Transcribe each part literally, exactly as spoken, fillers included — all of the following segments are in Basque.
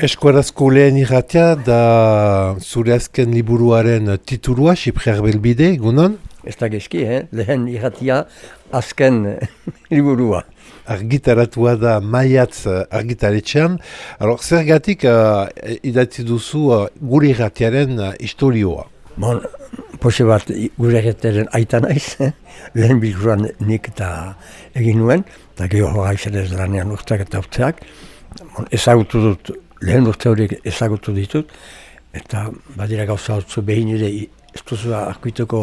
Eskuarazko lehen irratia da zure azken liburuaren titulua, Xipriar Belbide, egunon? Ez da gezki, eh? Lehen irratia azken liburua. Argitaratua da Maiatz argitaretxean. Alors, zergatik uh, idatzi duzu uh, gure irratiaren uh, historioa? Bon, poxe bat gure irratiaren aita naiz, eh? Lehen bilkuran nik eta egin nuen, eta geho hori ez lanean urteak eta urteak. Bon, ezagutu dut, lehen urte horiek ezagutu ditut, eta badira gauza hotzu behin ere ez duzu arkuiteko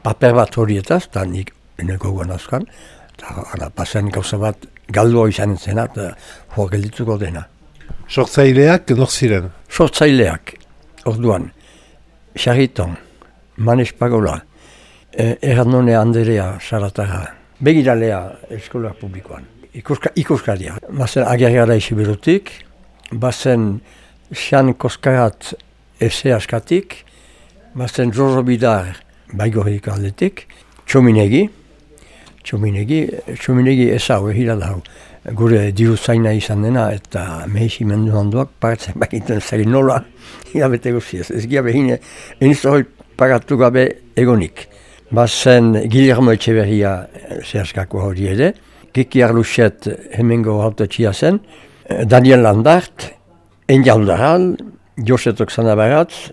paper bat horietaz, eta nik eneko guen azkan, eta pasen gauza bat galdua izan zena, eta hor geldituko dena. Sortzaileak nor ziren? Sortzaileak, orduan, Xarriton, Manes Pagola, eh, Ernone Anderea Saratara, begiralea eskola publikoan, ikuska, ikuskaria. Bazen agergara isiberutik, bazen Xan Koskarat ese askatik, bazen Jojo Bidar baigorik aldetik, Txominegi, Txominegi, Txominegi ezau, ehira da hau. Gure diru zaina izan dena eta mehisi mendu handuak paratzen bakiten zari nola hilabete guziez. Ez gira behine, eniz hori pagatu gabe egonik. Bazen Guillermo Etxeberria zehazkako hori ere, Kiki Arluxet hemengo hautatxia zen, Daniel Landart, Enja Aldaral, Josetok Zanabaratz,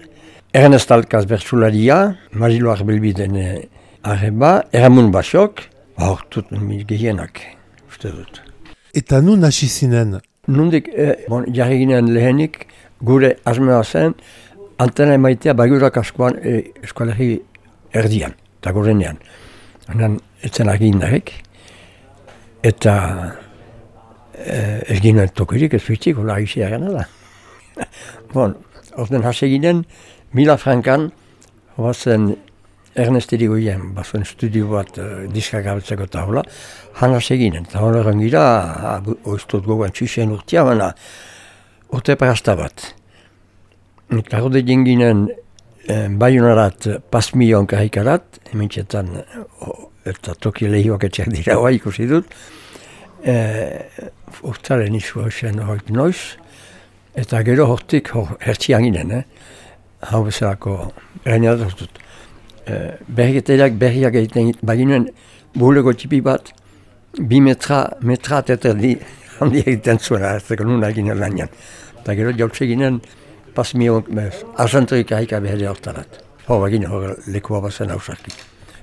Ernest Alkaz Bertsularia, Marilo Arbelbiden arreba, Eramun Basok, hortut gehienak, uste dut. Eta nun hasi zinen? Nundik, eh, bon, jarri ginen lehenik, gure asmea zen, antena emaitea bagurak askoan eh, eskualerri erdian, eta gorenean. Hanan, etzen argi indarek, eta eh, ez ginen tokirik, ez fitzik, hola izia gana da. Bon, orten hasi ginen, Mila Frankan, hoazen Ernest Erigoien, bazuen studio bat uh, diska gabetzeko eta hola, hana seginen, eta hola gira, oiztot gogoan txixen urtia, baina urte parasta bat. Eta hode jenginen eh, Baionarat pasmion karikarat, hemen txetan, oh, eta toki lehioak etxeak dira hoa ikusi dut, eh, urtaren izu hoxen hoit noiz, eta gero hortik hor, hertxian ginen, eh? Hau bezalako gainadat dut. Berriketeak berriak egiten baginen bulego txipi bat bi metra, metra teterdi handi egiten zuen hartzeko nuna eginen lanian. Eta gero jautze ginen pasmio arzentorik ahika behar hortarat. Hor baginen hor lekua bazen hausarki.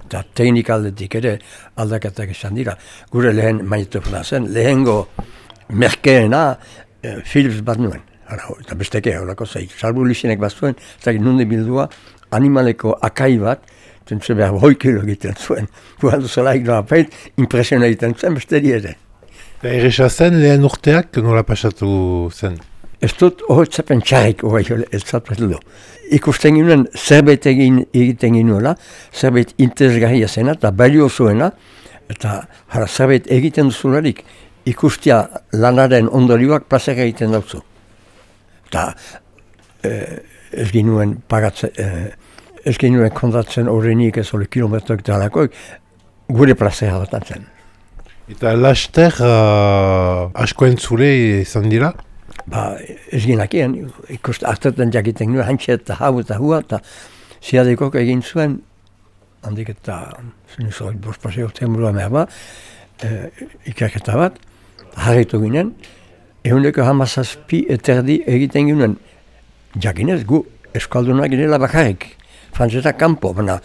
Eta teknikaldetik ere aldakatak izan dira. Gure lehen magnetofona zen, lehengo merkeena eh, Philips bat nuen. Hala, eta besteke horako zaik. Salbu lisenek bat zuen, zaik nunde bildua animaleko akai bat, zentzu behar hoi kilo egiten zuen. Gualdu zelaik doa peit, impresiona egiten zuen, besteri ere. Eta erresa zen, lehen urteak nola pasatu zen? Ez dut horretzapen txarrik hori ez zapetu du. Ikusten ginen zerbait egin egiten ginuela, zerbait interesgarria zena eta balio zuena, eta jara zerbait egiten duzularik ikustia lanaren ondorioak plazera egiten dauzu. Eta eh, ez ginuen pagatzen, eh, ez ginuen kontatzen horrenik ez hori kilometroak eta halakoik, gure plazera bat zen. Eta laster uh, asko entzule izan dira? Ba, ez ginakien, ikust hartetan jakiten nuen, hantxe eta hau eta hua, eta ziadekok egin zuen, handik eta zuen bost paseo temurua mehar ba, eh, ikerketa bat, harritu ginen, ehuneko hamazazpi eterdi egiten ginen, jakinez gu eskaldunak ginela bakarrik, frantzetak kanpo, baina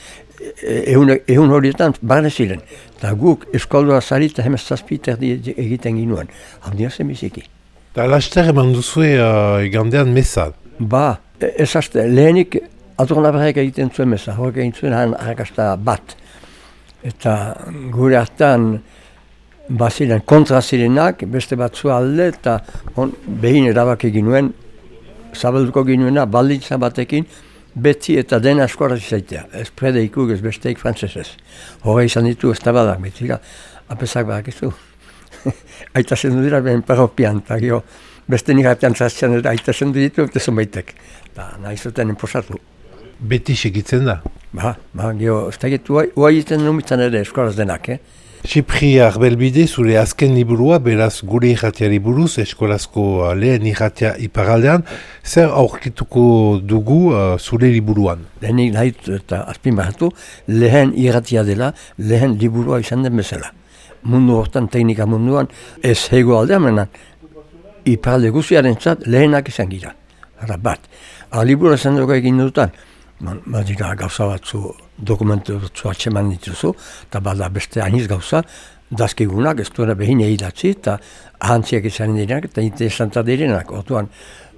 ehun horietan barne ziren. Eta guk eskaldua zarita hemen zazpi eterdi egiten ginuen, handia zen biziki. Eta laster eman duzue uh, igandean meza? Ba, ez azte, lehenik atornabarek egiten zuen meza, horrek egin zuen han harrakasta bat. Eta gure hartan baziren kontra zirenak, beste batzu alde, eta on, behin erabak egin nuen, zabalduko ginuena balditza batekin, beti eta dena eskoraz izaitea. Ez predeikuk, ez besteik frantzesez. Horre izan ditu ez tabadak betira, apesak badakizu. Aita zendu dira behen paropian, eta gio, beste nik artean zaztian dira, aita zendu ditu, eta zonbaitek. Eta nahi zuten enposatu. Beti segitzen da? Ba, ba, gio, ez da gitu, uai egiten numitzen ere eskoraz denak, eh? Txipri Arbelbide, zure azken liburua, beraz gure irratiari buruz, eskolazko lehen irratia iparaldean, zer aurkituko dugu uh, zure liburuan? Lehenik nahit eta azpimarratu, lehen irratia dela, lehen liburua izan den bezala. Mundu hortan, teknika munduan, ez hego aldean menan, iparalde guziaren zat, lehenak izan gira. Hara bat. Ara liburu esan dugu egin dutan, badira gauza batzu, dokumentu batzu atseman dituzu, eta bada beste aniz gauza, dazkigunak, ez duena behin idatzi, eta ahantziak izan direnak, eta interesantak direnak. Orduan,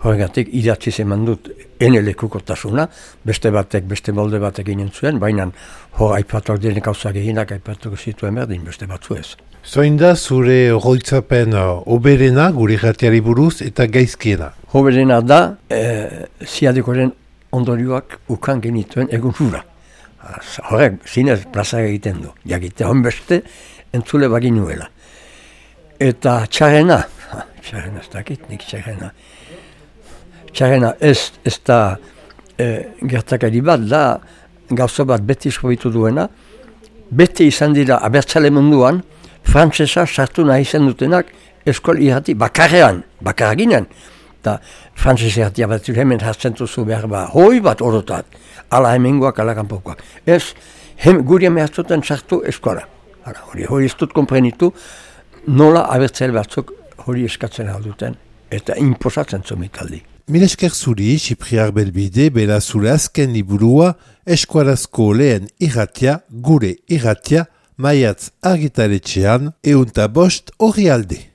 horregatik idatzi zeman dut ene lekukotasuna, beste batek, beste molde batek ginen zuen, baina hor aipatuak diren gauza gehienak aipatuko zituen berdin, beste batzu ez. Zoin da zure oroitzapen uh, oberena gure irratiari buruz eta gaizkiena? Oberena da, e, ziadekoren ondorioak ukan genituen egun hura. Horrek, zinez plaza egiten du. Jakite honbeste entzule baginuela. Eta txarrena, txarrena ez dakit, nik txarrena. Txarrena ez, ez da e, gertakari bat, da gauza bat beti esprobitu duena, beti izan dira abertzale munduan, frantsesa sartu nahi izan dutenak eskol irrati bakarrean, bakaraginen. Eta frantzese irratia bat hemen hartzen duzu behar ba, hoi bat orotat, ala hemengoak, ala kanpokoak. Ez, hem, guri emeaztuten sartu eskola. Hala, hori, hori ez dut komprenitu, nola abertzale batzuk hori eskatzen alduten, eta inposatzen zomikaldi. Mil esker zuri, Txipri Arbelbide, bera zure azken liburua, eskualazko lehen irratia, gure irratia, maiatz argitaletxean, eunta bost horri alde.